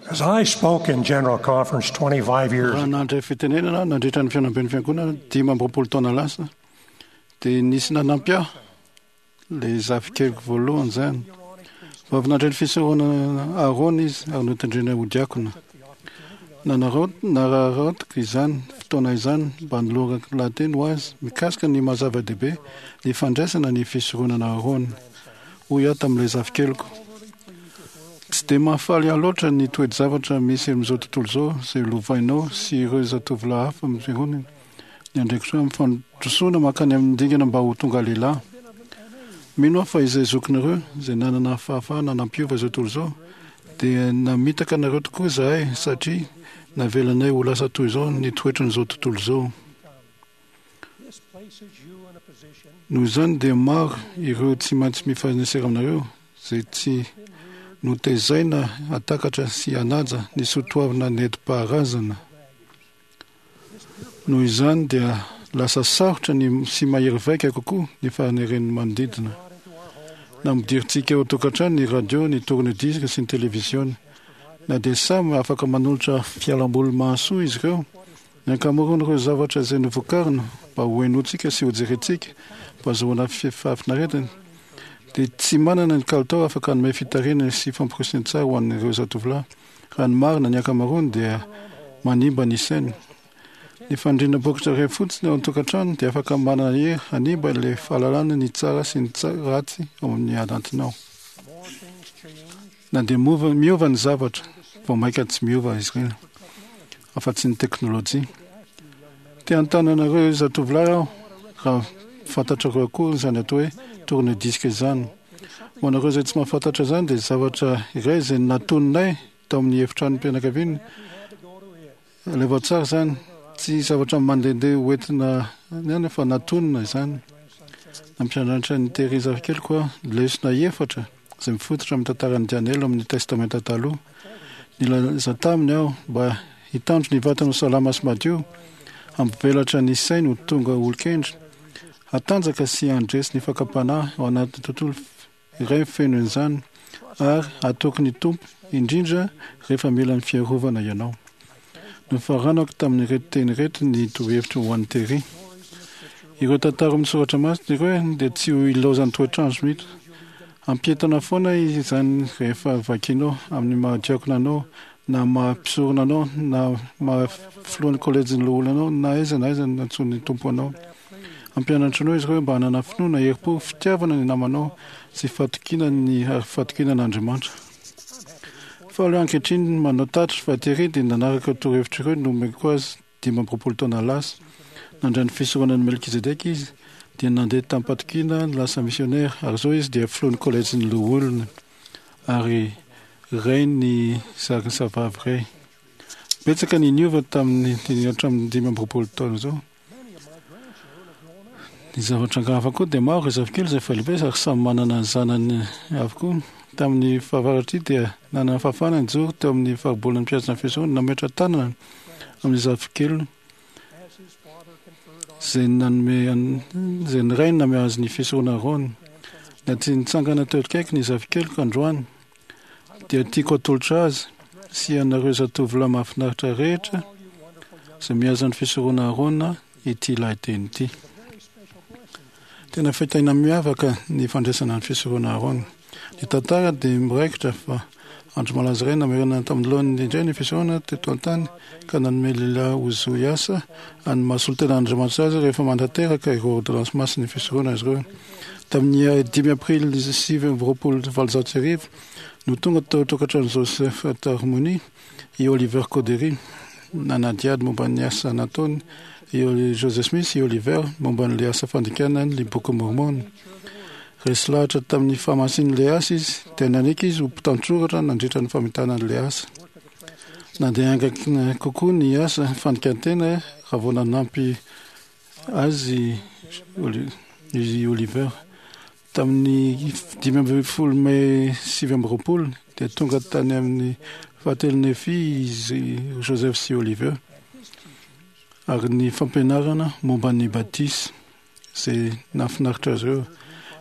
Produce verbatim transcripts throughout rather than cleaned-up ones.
As I spoke in General Conference twenty-five years Raha nandray fitenenana nandritra ny fihaonamben'ny fiangonana dimy amby roapolo taona lasa, dia nisy nanampy ahy, ilay zafikeliko voalohany izany. Vao avy nandray ny fisoronana Aharôna izy ary notendrena ho diakona. Nanararaotiko izany fotoana izany mba hanolorako lahateny ho azy mikasika ny maha-zava-dehibe ny fandraisana ny fisoronana Aharôna. Hoy aho tamin'ilay zafikeliko, Tsy dia mahafaly ahy loatra ny toe-javatra misy amin'izao tontolo izao izay lovainao sy ireo zatovolahy hafa amin'ny fiangonana ny andraikitro amin'ny fandrosoana mankany amin'ny dingana mba ho tonga lehilahy. Mino aho fa izay zokinareo izay nanana fahafahana nampiova izao tontolo izao dia namitaka anareo tokoa izahay satria navelanay ho lasa toy izao ny toetran'izao tontolo izao. Noho izany dia maro ireo tsy maintsy mifanesera aminareo izay tsy notezaina hatakatra sy hanaja ny soatoavina nentim-paharazana. Noho izany dia lasa sarotra ny sy mahery vaika kokoa ny faneren'ny manodidina. Nampidirintsika ao an-tokantrano ny radio, ny tourne-disque sy ny televiziona. Na dia samy afaka manolotra fialamboly mahasoa izy ireo, ny ankamaroan'ireo zavatra izay novokarina mba hohenointsika sy hojerentsika mba hahazoana fahafinaretana dia tsy manana ny kalitao afaka hanome fitarihana sy famporisihana tsara ho an'ireo zatovolahy. Raha ny marina, ny ankamaroany dia manimba ny sainy. Ny fanindriana bokotra iray fotsiny ao an-tokantrano dia afaka manana hery hanimba ilay fahalalana ny tsara sy ny ratsy ao amin'ny anatinao. Na dia miova ny zavatra, vao mainka tsy miova izy ireny, afa-tsy ny teknolojia. Te hanontany anareo zatovolahy aho raha fantatrareo akory izany atao hoe tourne-disque izany. Ho anareo izay tsy mahafantatra izany dia zavatra iray izay natoninay tao amin'ny efitranom-pianakaviana. Alefa tsara izany. Tsy zavatra mandehandeha hoentina any fa natonina izany. Nampianatra an'i Terry zafikeliko aho lesona efatra izay mifototra amin'ny tantaran'i Daniela ao amin'ny Testamenta Taloha. Nilaza taminy aho mba hitandro ny vatany ho salama sy madio, hampivelatra ny sainy ho tonga olon-kendry, hatanjaka sy handresy ny fakam-panahy ao anatin'ny tontolo iray feno an'izany, ary hatoky ny Tompo, indrindra rehefa mila ny fiarovana ianao. Nofaranako tamin'ireto teny ireto ny torohevitro ho an'i Terry. Ireo tantara ao amin'ny soratra masina ireo dia tsy ho ilaozan'ny toetr'andro mihitsy. Hampientana foana izany rehefa vakinao amin'ny maha-diakona anao na maha mpisorona anao na maha filohan'ny kolejin'ny loholona anao na aiza na aiza nantsoin'ny Tompo anao. Hampianatra anao izy ireo mba hanana finoana, herim-po, fitiavana ny namanao sy fatokiana ny ary fatokiana an'Andriamanitra. Faly aho ankehitriny manao tatitra fa Terry dia nanaraka ireo torohevitra ireo nomeko azy dimy amby roapolo taona lasa. Nandray ny fisoronan'i Melkizedeka izy, dia nandeha tamim-patokiana lasa misionera, ary izao izy dia filohan'ny kolejin'ny loholona ary rain'ny zarizavavy iray. Betsaka ny niova tamin'ny hatramin'ny dimy amby roapolo taona izao. Ny zavatra hafa koa dia maro ireo zafikely izay efa lehibe ary samy manana ny zanany avokoa. Tamin'ny fahavaratra ity dia nanana fahafahana nijoro teo amin'ny faribolan'ny mpihaza ny fisoronana nametra-tanana amin'ny zafikeliny izay nanome izay ny rainy nanome azy ny fisoronana Aarona. Na tsy nitsangana teo akaiky ny zafikeliko androany dia tiako atolotra azy sy ianareo zatovolahy mahafinaritra rehetra izay mihaza ny fisoronana Aarona ity lahateny ity. Tena fitahiana miavaka ny fandraisana ny fisoronana Aarona. Ny tantara dia miraikitra fa andro malaza iray namerenana tamin'ny laoniny indray ny fisoronana teto an-tany ka nanome lehilahy ho zo hiasa any maha solontenan'Andriamanitra azy rehefa manatanteraka ireo ôrdônansy masin'ny fisoronana izy ireo. Tamin'ny dimy aprily sivy amby roapolo valonjato sy arivo no tonga tao an-tokantranon'i Joseph Tarmoni i Oliver Cowdery nanadihady momba ny asa nataony i Joseph Smith sy i Oliver momba an'ilay asa fandikana ny Bokin'i Môrmôna. Resy lahatra tamin'ny fahamasin'ilay asa izy, dia nanaiky izy ho mpitantsoratra nandritra ny famitana an'ilay asa. Nandeha haingana kokoa ny asa fandikan-tena raha vao nanampy azy i Oliver. Tamin'ny dimy ambin'ny folo mey sivy amby roapolo dia tonga tany amin'ny fahatelo Nefy izy Joseph sy Oliver ary ny fampianarana momba ny batisa izay nahafinaritra azy ireo.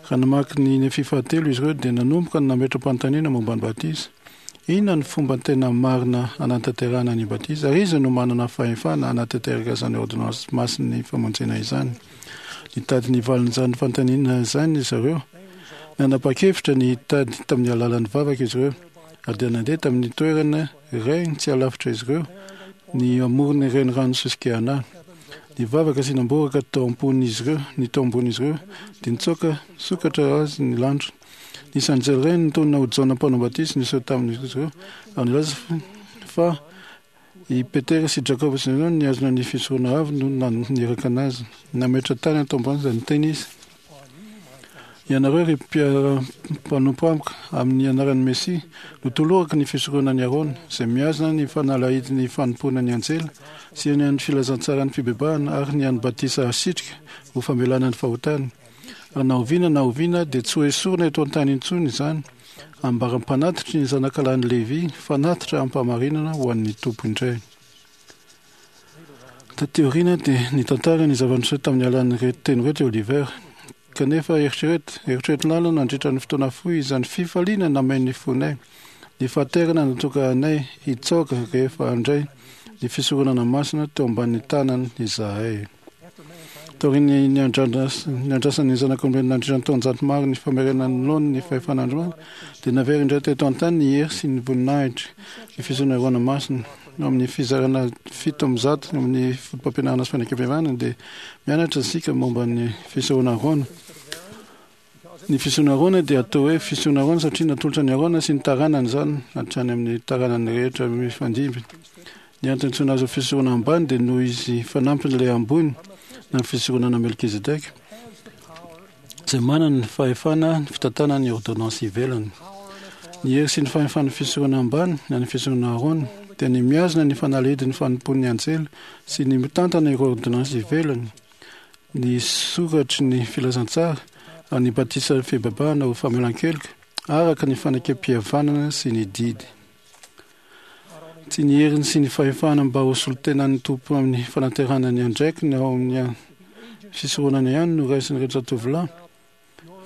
Raha namaky ny Nefy fahatelo izy ireo dia nanomboka nametra-panontaniana momba ny batisa. Inona ny fomba tena marina hanatanterahana ny batisa, ary iza no manana fahefana hanatanteraka izany ôrdônansy masin'ny famonjena izany? Nitady ny valin'izany fanontaniana izany izy ireo. Nanapa-kevitra ny hitady tamin'ny alalan'ny vavaka izy ireo, ary dia nandeha tamin'ny toerana iray tsy alavitra izy ireo, ny amoron'ny renirano Susquehanna. Nivavaka sy namboraka tao am-pon'izy ireo, ny tao ambon'izy ireo, dia nitsoaka sokatra azy ny lanitra. Nisy anjely iray nitonona ho Jaona mpanao batisa niseho tamin'izy ireo, ary nilaza fa i Petera sy Jakoba sy Jaona nihazona ny fisorona avy no naniraka anazy. Nametra tanana tao ambany izany teny izy. Ianareo ry mpiara-mpanompo amiko, amin'ny anaran'ny Mesia, no tolorako ny fisoronan'i Arona, izay mihazona ny fanalahidin'ny fanompoana ny anjely sy ny an'ny filazantsaran'ny fibebahana ary ny an'ny batisa asitrika ho famelana ny fahotana. Ary na oviana na oviana dia tsy ho esorina eto an-tany intsony izany, ambaram-panatitry ny zanakalahin'i Levy, fanatitra ampahamarinana ho an'ny Tompo indray. Taty aoriana dia nitantara ny zava-niseho tamin'ny alalan'ireto teny ireto i Oliver. Kanefa eritrereto, eritrereto lalina nandritra ny fotoana fohy izany fifaliana nameno ny fonay, ny fahaterana natoka anay hitsaoka rehefa handray ny fisoronana masina teo ambanin'ny tanany izahay. Taorian'ny niandrasan'ny zanak'olombelona nandritra ny taonjato maro ny famerenana ny laoniny ny fahefan'Andriamanitra, dia naverina indray teto an-tany ny hery sy ny voninahitry ny fisoronana masina. Amin'ny fizarana fito amby zato amin'ny fotopampianarana sy fanekempihavanana dia mianatra isika momba ny fisehoana Arona. Ny fisehoana Arona dia atao hoe fisehoana Arona satria natolotra ny Arona sy ny taranany izany hatrany amin'ny taranany rehetra mifandimby. Ny antony antsoina azy ho fisehoana ambany dia noho izy fanampin'ilay ambony na ny fisoronana Melkizedeka, izay manana ny fahefana ny fitantanana ny ôrdônansy ivelany. Ny hery sy ny fahefan'ny fisoronana ambany na ny fisoronana Arona dia ny mihazona ny fanalahidin'ny fanompoan'ny anjely sy ny mitantana ireo ôrdônansy ivelany, ny soratry ny filazantsara ary ny batisan'ny fibebahana ho famelan-keloka araka ny fanekem-pihavanana sy ny didy. Tsy ny heriny sy ny fahefana mba ho solontenan'ny Tompo amin'ny fanaterana ny andraikiny ao amin'ny fisoronana ihany no raisin'ireto zatovolahy,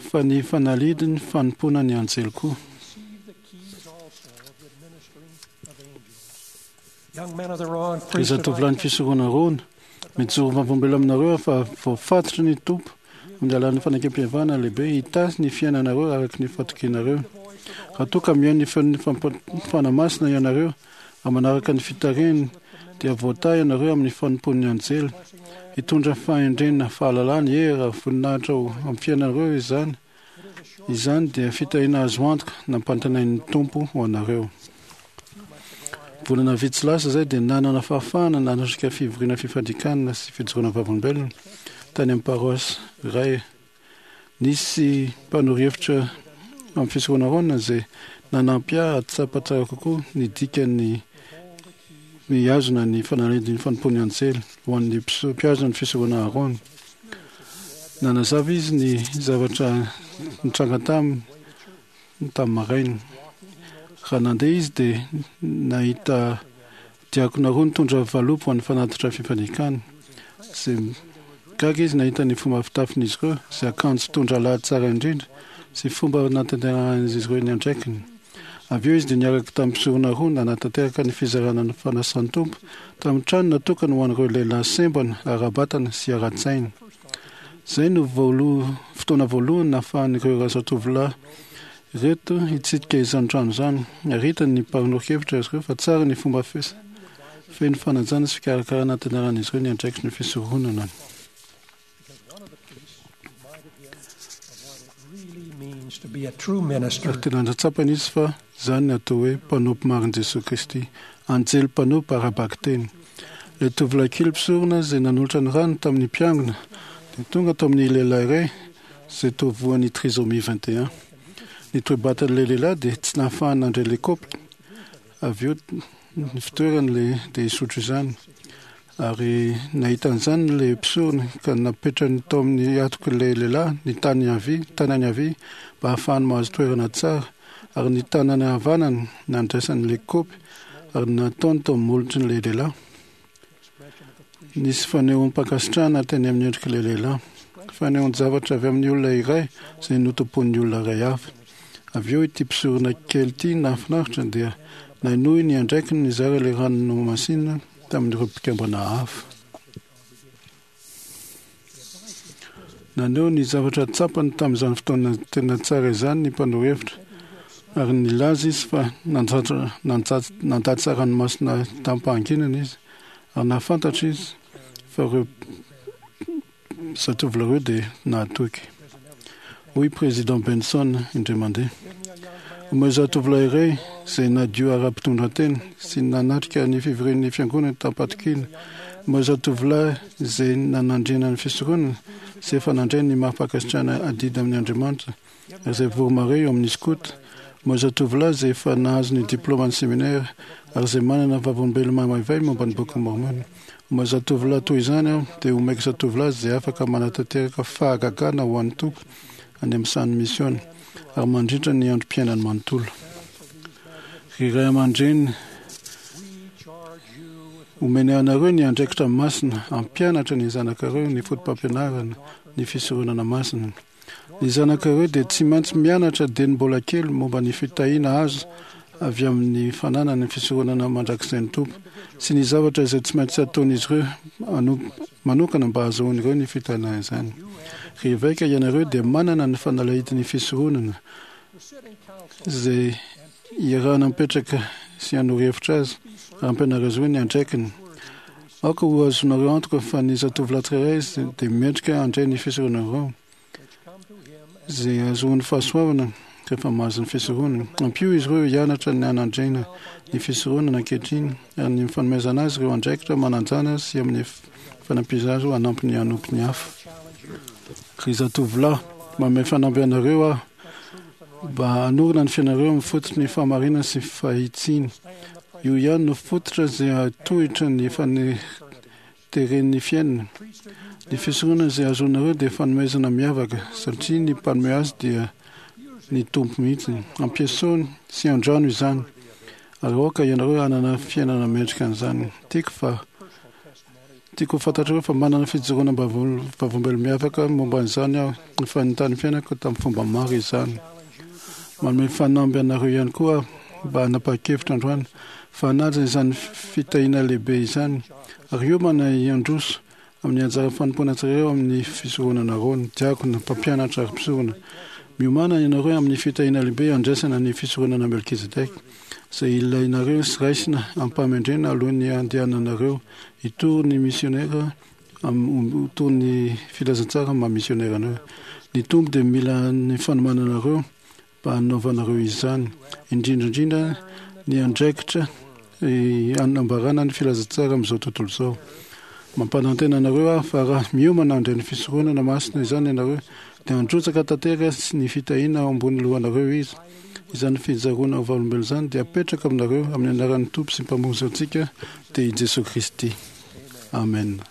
fa ny fanalidiny fanompoana ny anjely koa. Ry zatovolahin'ny fisorona Arona, mijoro vavolombelona aminareo aho fa voafatotry ny Tompo amin'ny alalan'ny fanekempihavanana lehibe hitahy ny fiainanareo araka ny fatokianareo. Raha toa ka mihaino ny feon'ny Fanahy Masina ianareo ary manaraka ny fitarihany, dia voatahy ianareo amin'ny fanompoan'ny anjely. Hitondra fahendrena, fahalalana, hery ary voninahitra ho amin'ny fiainanareo izany. Izany dia fitahiana azo antoka nampantenain'ny Tompo ho anareo. Volana vitsy lasa izay dia nanana fahafahana nanatrika fivoriana fifandikana sy fijoroana vavolombelona tany amin'ny paroasy iray. Nisy mpanoro hevitra amin'ny fisehoana Arona izay nanampy ahy hahatsapa tsara kokoa ny dikan'ny mihazona ny fanalahidin'ny fanompoan'ny anjely ho an'ny mpihazona ny fisehoana Arona. Nanazava izy ny zavatra nitranga taminy tamin'ny maraina. Raha nandeha izy dia nahita diakona roa nitondra valopy ho an'ny fanatitra fifanekana. Izay gaga izy nahita ny fomba fitafin'izy ireo, izay akanjo fitondra lahy tsara indrindra, sy fomba nanatanterahan'izy ireo ny andraikiny. Avy eo izy dia niaraka tamin'ny mpisorona roa nanatanteraka ny fizarana ny fanasan'ny Tompo tamin'ny trano natokana ho an'ireo lehilahy sembana ara-batana sy ara-tsaina. Izay no voaloha, fotoana voalohany nahafahan'ireo zatovolahy ireto hitsidika izany trano izany, ary hitany ny mpanoro-kevitra azy ireo fa tsara ny fomba feno fanajana sy fikarakarana antenaran'izy ireo ny andraikitry ny fisoronana. Ary tena nahatsapany izy fa izany ny atao hoe mpanompo marin'i Jesoa Kristy, anjely mpanompo ara-bakiteny. Ilay tovolahy kely mpisorona izay nanolotra ny rano tamin'ny mpiangona dia tonga tao amin'ny lehilahy iray izay toa voan'ny trisomie vingt et un. Ny toe-batan'ilay lehilahy dia tsy nahafahany nandray ilay kaopy, avy eo ny fitoerany ilay dia hisotro izany. Ary nahita an'izany ilay mpisorona ka napetrany tao amin'ny hatok'ilay lehilahy ny tanany havia, tanany havia mba hahafahany mahazo toerana tsara, ary ny tanany havanany nandraisany ilay kaopy ary nataony tao amin'ny molotrin'ilay lehilahy. Nisy fanehoam-pankasitrahana teny amin'ny endrik'ilay lehilahy. Fanehoan-javatra avy amin'ny olona iray izay notompoin'ny olona iray hafa. Avy eo ity mpisorona kely ity nahafinaritra dia nainohy ny andraikiny nizara ilay rano nohamasinina tamin'ireo mpikambana hafa. Naneho ny zavatra tsapany tamin'izany fotoana tena tsara izany ny mpanoro hevitra, ary nilaza izy fa nandatsa ranomasina tamim-pahanginana izy, ary nahafantatra izy fa ireo zatovolahy ireo dia nahatoky. Hoy Président Benson indray mandeha: "Omeo zatovolahy iray izay nadio ara-pitondran-tena sy nanatrika ny fivorian'ny fiangonana tamim-pahatokiana, omeo zatovolahy izay nanandriana ny fisoronana sy efa nandray ny mari-pankasitrahana adidy amin'ny Andriamanitra ary izay vory eo amin'ny skoto, omeo zatovolahy izay efa nahazo ny diplaoman'ny seminera ary izay manana vavolombelona mamaivay momba ny Bokin'i Môrmôna. Omeo zatovolahy toy izany aho, dia omeko zatovolahy izay afaka manatanteraka fahagagana ho an'ny Tompo any amin'ny sahan'ny misiôna ary mandritra ny androm-piainany manontolo. Ry ray aman-dreny, omena anareo ny andraikitra masina hampianatra ny zanakareo ny fotopampianarana ny fisoronana masina. Ny zanakareo dia tsy maintsy mianatra dieny mbola kely momba ny fitahiana azo avy amin'ny fananana ny fisoronana mandrakizay ny Tompo sy ny zavatra izay tsy maintsy ataon'izy ireo manokana mba hahazoan'ireo ny fitahiana izany. Ry eveka, ianareo dia manana ny fanalahidin'ny fisoronana izay iarahana mipetraka sy hanoro hevitra azy ary ampianaro azy ireo ny andraikiny. Aoka ho azonareo antoka fa ny zatovolahy tsirairay dia mendrika handray ny fisoronanareo izay ahazoany fahasoavana rehefa mahazo ny fisoronana. Ampio izy ireo hianatra ny hanandrena ny fisoronana ankehitriny ary ny fanomezana azy ireo andraikitra mananjana sy amin'ny fanampiana azy hanampy ny hanompo ny hafa. Ry zatovolahy, manome fanamby anareo aho mba hanorina ny fiainanareo amin'ny fototry ny fahamarinana sy fahitsiana. Io ihany no fototra izay hahatohitra ny faneteren'ny fiainana. Ny fisoronana izay azonareo dia fanomezana miavaka satria ny mpanome azy dia ny Tompo mihitsy. Ampiasao sy andrano izany ary aoka ianareo hanana fiainana mendrika an'izany. Tiako fa tiako ho fantatrareo fa manana fijoroana vavolombelona miavaka momba an'izany aho. Efa nitany fiainako tamin'ny fomba maro izany. Manome fanamby anareo ihany koa aho mba hanapa-kevitra androany fa hanaja izany fitahiana lehibe izany ary hiomana hiandroso amin'ny anjara fanompoana tsirairay ao amin'ny fisoronana Aarôna, diakona, mpampianatra ary mpisorona. Miomàna ianareo amin'ny fitahiana lehibe handraisana ny fisoronana Melkizedeka izay ilainareo sy raisina amim-pahamendrehana alohan'ny handehananareo hitory ny misionera hitory ny filazantsara maha misionera anareo. Ny Tompo dia mila ny fanomananareo mba hanaovanareo izany, indrindra indrindra ny andraikitra hanambarana ny filazantsara amin'izao tontolo izao. Mampanantena anareo aho fa raha miomana handray ny fisoronana masina izany ianareo dia handrotsaka tanteraka sy ny fitahiana ao ambony lohanareo Izy. Izany fijaroana ho vavolombelona izany dia apetraka aminareo amin'ny anaran'ny Tompo sy Mpamonjy antsika dia i Jesoa Kristy. Amen.